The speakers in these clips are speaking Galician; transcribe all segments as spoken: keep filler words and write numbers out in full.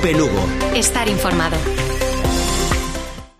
COPE Lugo. Estar informado.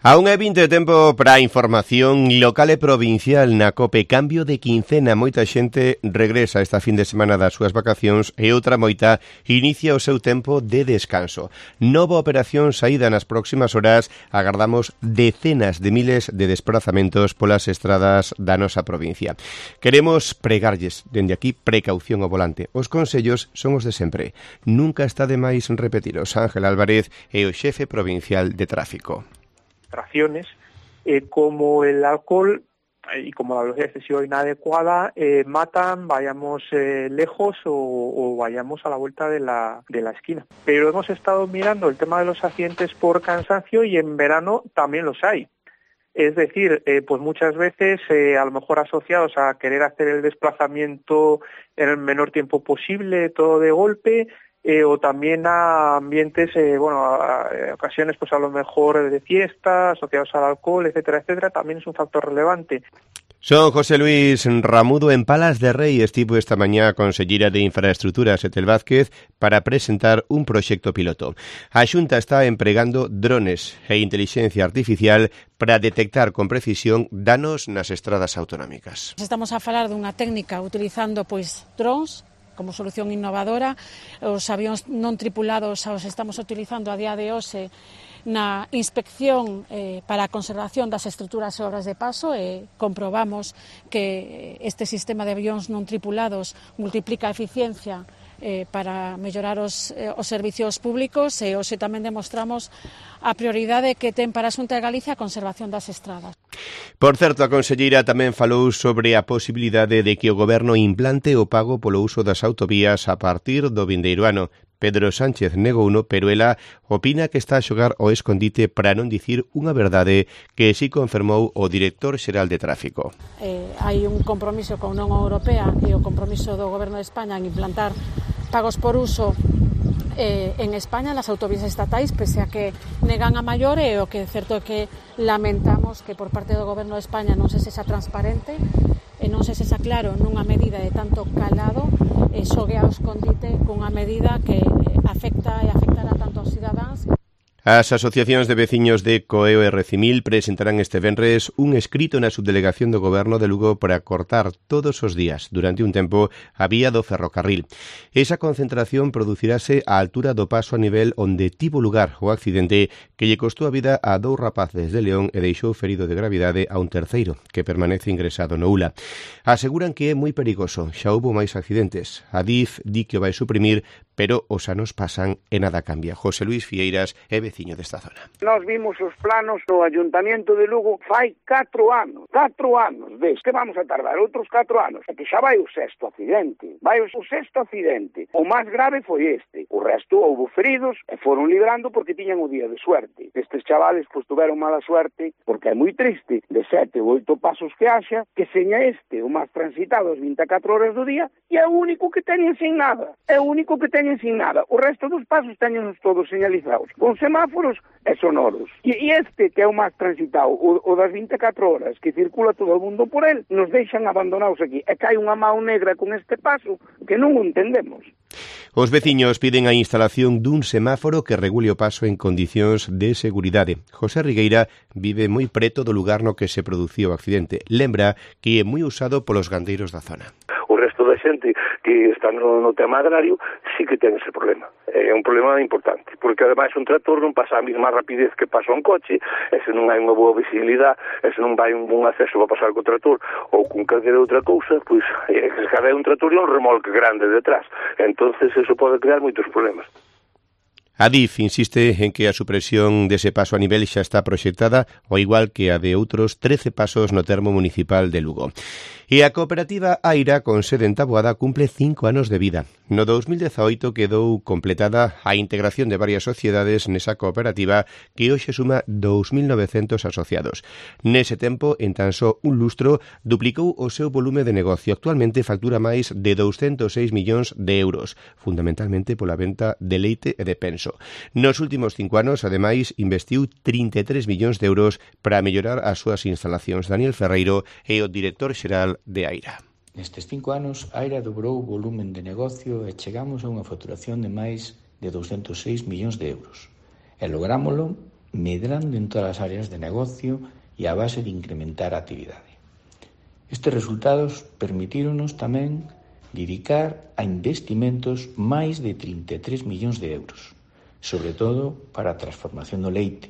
A unha e vinte de tempo para a información local e provincial na COPE. Cambio de quincena, moita xente regresa esta fin de semana das súas vacacións e outra moita inicia o seu tempo de descanso. Nova operación saída nas próximas horas, agardamos decenas de miles de desplazamentos polas estradas da nosa provincia. Queremos pregarlles, dende aquí, precaución ao volante. Os consellos son os de sempre. Nunca está de máis repetiros. Ángel Álvarez é o xefe provincial de tráfico. Eh, como el alcohol y como la velocidad excesiva inadecuada eh, matan, vayamos eh, lejos o, o vayamos a la vuelta de la, de la esquina. Pero hemos estado mirando el tema de los accidentes por cansancio y en verano también los hay. Es decir, eh, pues muchas veces eh, a lo mejor asociados a querer hacer el desplazamiento en el menor tiempo posible, todo de golpe, Eh, o también a ambientes, eh, bueno, a, a ocasiones pues a lo mejor de fiesta, asociados al alcohol, etcétera, etcétera, también es un factor relevante. Son José Luis Ramudo en Palas de Rei. Estivo esta mañá a Conselleira de Infraestructuras Etel Vázquez para presentar un proxecto piloto. A Xunta está empregando drones e inteligencia artificial para detectar con precisión danos nas estradas autonómicas. Estamos a falar dunha técnica utilizando pois drones como solución innovadora. Os avións non tripulados os estamos utilizando a día de hoxe na inspección eh, para a conservación das estruturas e obras de paso e comprobamos que este sistema de avións non tripulados multiplica a eficiencia eh, para mellorar os, eh, os servicios públicos e hoxe tamén demostramos a prioridade que ten para a Xunta de Galicia a conservación das estradas. Por certo, a conselleira tamén falou sobre a posibilidade de que o Goberno implante o pago polo uso das autovías a partir do vindeiro ano. Pedro Sánchez negouno, pero ela opina que está a xogar ao escondite para non dicir unha verdade que si confirmou o director xeral de tráfico. Eh, hai un compromiso con a Unión Europea e o compromiso do Goberno de España en implantar pagos por uso eh, en España nas autovías estatais, pese a que negan a maior, e o que é certo é que lamentamos que por parte do Goberno de España non se sexa transparente e non se sexa claro nunha medida de tanto calado e xogue ao escondite cunha medida que afecta e afectará tanto aos cidadáns. As asociacións de veciños de Coeo e Recimil presentarán este venres un escrito na subdelegación do Goberno de Lugo para cortar todos os días, durante un tempo, a vía do ferrocarril. Esa concentración producirase á altura do paso a nivel onde tivo lugar o accidente que lle costou a vida a dous rapaces de León e deixou ferido de gravidade a un terceiro, que permanece ingresado no U L A. Aseguran que é moi perigoso, xa houbo máis accidentes. A D I F di que o vai suprimir, pero os anos pasan e nada cambia. José Luis Fieiras é veciño desta zona. Nós vimos os planos do Ayuntamiento de Lugo fai catro anos, catro anos, ves que vamos a tardar outros catro anos, e que xa vai o sexto accidente, vai o sexto accidente. O máis grave foi este, o resto houbo feridos e foron librando porque tiñan o día de suerte. Estes chavales pois tuveron mala suerte porque é moi triste, de sete ou oito pasos que haxa, que seña este o máis transitado as vinte e catro horas do día e é o único que teñen sin nada, é o único que teñen sin nada. O resto dos pasos teñen todos señalizados, con semáforos e sonoros. E, e este, que é o máis transitado, o, o das vinte e catro horas, que circula todo o mundo por el, nos deixan abandonados aquí. E cae unha mão negra con este paso que non o entendemos. Os veciños piden a instalación dun semáforo que regule o paso en condicións de seguridade. José Rigueira vive moi preto do lugar no que se produciu o accidente. Lembra que é moi usado polos gandeiros da zona. O resto da xente que está no, no tema agrario sí que ten ese problema. É un problema importante, porque ademais un tractor non pasa a mesma rapidez que pasa un coche, e se non hai unha boa visibilidade, e se non vai un bon acceso para pasar co tractor ou con calquera outra cousa, pois é que cada un tractor e un remolque grande detrás. Entonces eso pode crear moitos problemas. A D I F insiste en que a supresión dese paso a nivel xa está proxectada, ao igual que a de outros trece pasos no termo municipal de Lugo. E a cooperativa Aira, con sede en Taboada, cumple cinco anos de vida. No dos mil dezaoito quedou completada a integración de varias sociedades nesa cooperativa que hoxe suma dous mil novecentos asociados. Nese tempo, en tan só un lustro, duplicou o seu volume de negocio. Actualmente factura máis de douscentos seis millóns de euros, fundamentalmente pola venta de leite e de penso. Nos últimos cinco anos, ademais, investiu trinta e tres millóns de euros para mellorar as súas instalacións. Daniel Ferreiro é o director xeral de Aira. Nestes cinco anos, Aira dobrou o volumen de negocio e chegamos a unha facturación de máis de douscentos seis millóns de euros. E lográmolo medrando en todas as áreas de negocio e a base de incrementar a actividade. Estes resultados permitíronos tamén dedicar a investimentos máis de trinta e tres millóns de euros, sobre todo para a transformación do leite,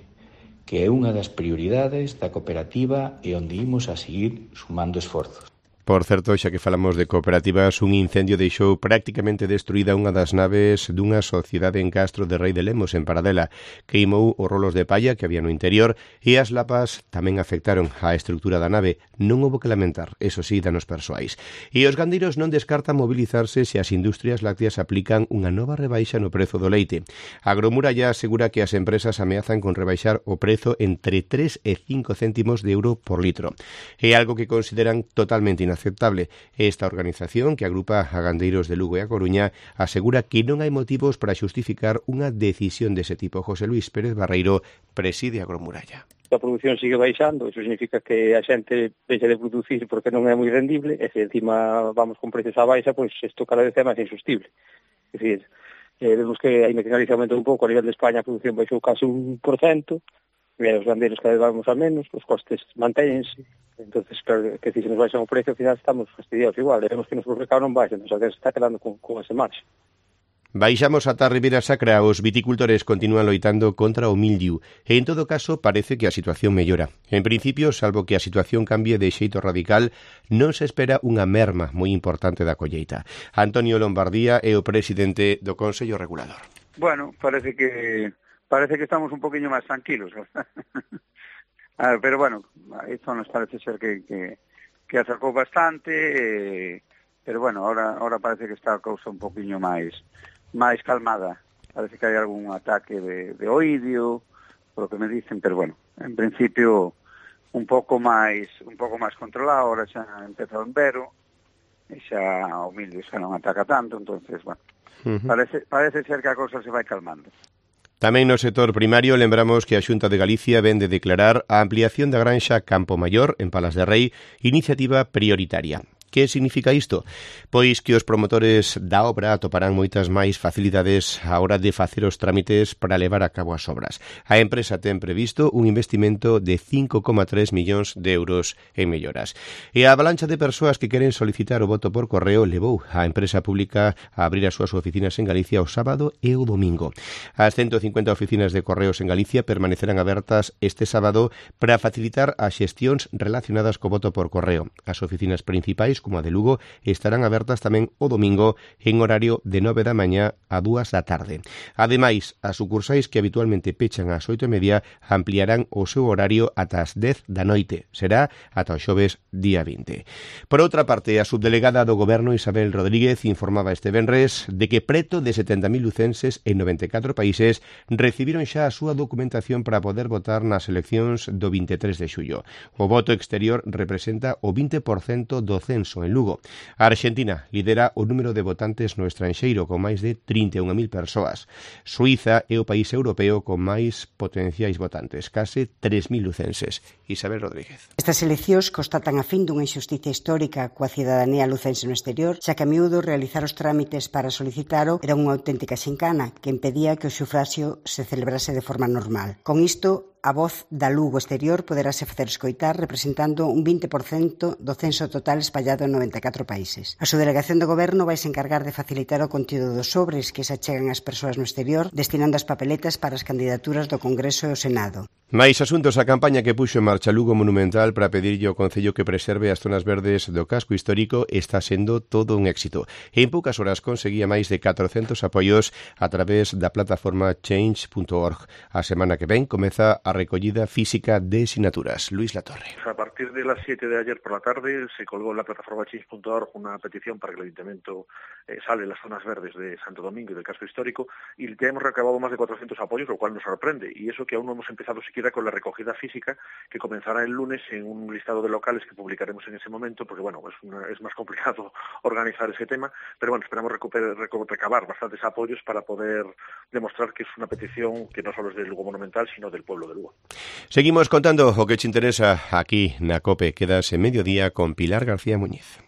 que é unha das prioridades da cooperativa e onde imos a seguir sumando esforzos. Por certo, xa que falamos de cooperativas, un incendio deixou prácticamente destruída unha das naves dunha sociedade en Castro de Rei de Lemos, en Paradela. Queimou os rolos de palla que había no interior e as lapas tamén afectaron a estrutura da nave. Non houbo que lamentar, eso sí, danos persoais. E os gandeiros non descartan mobilizarse se as industrias lácteas aplican unha nova rebaixa no prezo do leite. Agromuralla asegura que as empresas ameazan con rebaixar o prezo entre tres e cinco céntimos de euro por litro. É algo que consideran totalmente inaceptable. Inaceptable. Esta organización, que agrupa a gandeiros de Lugo e a Coruña, asegura que non hai motivos para xustificar unha decisión dese tipo. José Luis Pérez Barreiro preside a Agromuralla. A produción sigue baixando, iso significa que a xente deixa de producir porque non é moi rendible, e se encima vamos con precios a baixa, pois isto cada vez é máis insustible. É dicir, eh, vemos que a Galicia aumentou un pouco, a nivel de España a produción baixou case un por cento, e os gandeiros cada vez vamos a menos, os costes mantéñense. Entonces, claro, que si se nos baixa o precio, ao final estamos fastidiados igual, e vemos que nos mercado non baixa, entón, se está quedando con, con ese marxe. Baixamos ata a Ribeira Sacra, os viticultores continúan loitando contra o mildiu, e en todo caso parece que a situación mellora. En principio, salvo que a situación cambie de xeito radical, non se espera unha merma moi importante da colleita. Antonio Lombardía é o presidente do Consello Regulador. Bueno, parece que parece que estamos un poquinho máis tranquilos. Ah, pero bueno, esto nos parece ser que, que, que acercou bastante, eh, pero bueno, ahora, ahora parece que está a cousa un poquinho máis máis calmada. Parece que hai algún ataque de, de oidio, por lo que me dicen, pero bueno, en principio un pouco máis un pouco máis controlado, ahora xa empeza o invero, e xa o mildio xa non ataca tanto, entonces, bueno, uh-huh. parece, parece ser que a cousa se vai calmando. Tamén no sector primario lembramos que a Xunta de Galicia ven de declarar a ampliación da granxa Campo Maior en Palas de Rei iniciativa prioritaria. Que significa isto? Pois que os promotores da obra atoparán moitas máis facilidades á hora de facer os trámites para levar a cabo as obras. A empresa ten previsto un investimento de cinco coma tres millóns de euros en melloras. E a avalancha de persoas que queren solicitar o voto por correo levou a empresa pública a abrir as súas oficinas en Galicia o sábado e o domingo. As ciento cincuenta oficinas de correos en Galicia permanecerán abertas este sábado para facilitar as xestións relacionadas co voto por correo. As oficinas principais, como a de Lugo, estarán abertas tamén o domingo en horario de nove da mañá a dúas da tarde. Ademais, as sucursais que habitualmente pechan ás oito e media ampliarán o seu horario ata as dez da noite. Será ata o xoves día vinte. Por outra parte, a subdelegada do Goberno Isabel Rodríguez informaba este venres de que preto de setenta mil lucenses en noventa e catro países recibiron xa a súa documentación para poder votar nas eleccións do vinte e tres de xullo. O voto exterior representa o vinte por cento do censo en Lugo. A Argentina lidera o número de votantes no estranxeiro con máis de trinta e unha mil persoas. Suíza é o país europeo con máis potenciais votantes, case tres mil lucenses. Isabel Rodríguez. Estas eleccións constatan a fin dunha injusticia histórica coa cidadanía lucense no exterior, xa que a miúdo realizar os trámites para solicitalo era unha auténtica xincana que impedía que o sufraxio se celebrase de forma normal. Con isto, a voz da Lugo exterior poderase facer escoitar representando un vinte por cento do censo total espallado en noventa e catro países. A subdelegación do Goberno vai se encargar de facilitar o contido dos sobres que se achegan ás persoas no exterior, destinando as papeletas para as candidaturas do Congreso e o Senado. Mais asuntos, a campaña que puxo en marcha Lugo Monumental para pedirlle ao Concello que preserve as zonas verdes do casco histórico está sendo todo un éxito. En poucas horas conseguía máis de catrocentos apoios a través da plataforma change punto org. A semana que ven comeza a recollida física de sinaturas. Luis Latorre. A partir de las siete de ayer por la tarde se colgó en la plataforma change punto org una petición para que el Ayuntamiento eh, sale las zonas verdes de Santo Domingo y del casco histórico, y ya hemos recabado más de cuatrocientos apoyos, lo cual nos sorprende, y eso que aún no hemos empezado siquiera con la recogida física, que comenzará el lunes en un listado de locales que publicaremos en ese momento, porque bueno, es, una, es más complicado organizar ese tema, pero bueno, esperamos recuperar, recabar bastantes apoyos para poder demostrar que es una petición que no solo es del Lugo Monumental, sino del pueblo de Lugo. Seguimos contando o que te interesa aquí na COPE. Quedas en Mediodía con Pilar García Muñiz.